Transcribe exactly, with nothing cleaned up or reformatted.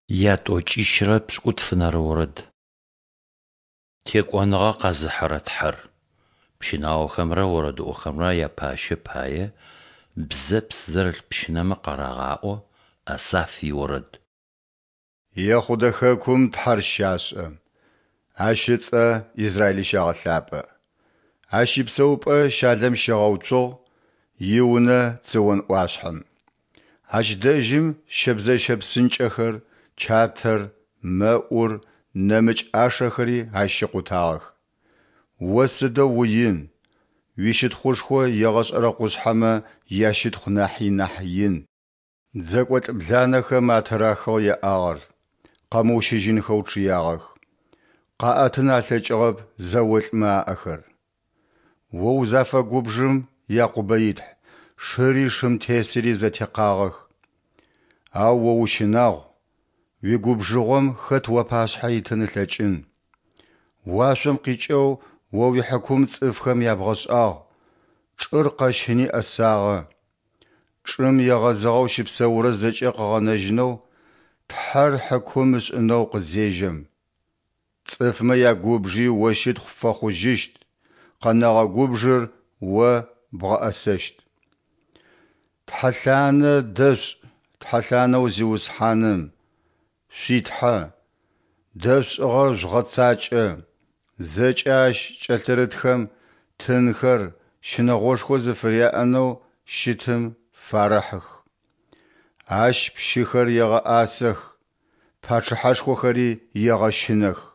Ятӏокӏищырэ пшӏыкӏутфэнэрэ орэд. Текӏоныгъэ къэзыхьырэ Тхьэр. Пщынаохэмрэ орэдыӏохэмрэ япащэ пае бзэпс зэрылъ пщынэмэ къарагъаӏо. Асаф иорэд. Ехъудэ хэкум Тхьэр щашӏэ, Ащ ыцӏэ Израили щагъэлъапӏэ. Ащ ипсэупӏэ Щалэм щигъэуцугъ, иунэ Цион ӏуашъхьэм. Ащ дэжьым щэбзэщэ псынкӏэхэр, чатэр, мэӏур, нэмыкӏ ӏашэхэри ащ щикъутагъэх. О сыдэу уин, уищытхъушхо егъэшӏэрэ къушъхьэмэ ящытхъу нахьи нахь ин! Дзэкӏолӏ бланэхэм атырахыгъ яӏагъэр, къэмыущыжьынхэу чъыягъэх, къаӏэтын алъэкӏыгъэп зэолӏмэ аӏэхэр. О узафэгубжым, Якъубэ и Тхь, шыри шым тесыри зэтекъагъэх. Ау О ущынагъу, уигубжыгъом хэт уапашъхьэ итын ылъэкӏын? Уашъом къикӏэу О уихьыкум цӏыфхэм ябгъэшӏагъ, чӏыр къэщыни ӏэсагъэ. Чӏым егъэзыгъэу щыпсэурэр зэкӏэ къыгъэнэжьынэу Тхьэр хьыкум ышӏынэу къызежьэм. Цӏыфмэ ягубжи О щытхъу пфэхъужьыщт, къэнэгъэ губжыр О бгъэӏэсэщт. Тхьэлъанэ дэшъушӏ тхьэлъанэу Зиусхьаным, шъуи Тхьэ, дэшъушӏыгъэр жъугъэцакӏэ, зэкӏэ ащ кӏэлъырытхэм тынхэр щынэгъошхо зыфыряӏэнэу щытым фарэхьых. Ащ пщыхэр егъэӏасэх, пачъыхьэшхохэри егъэщынэх.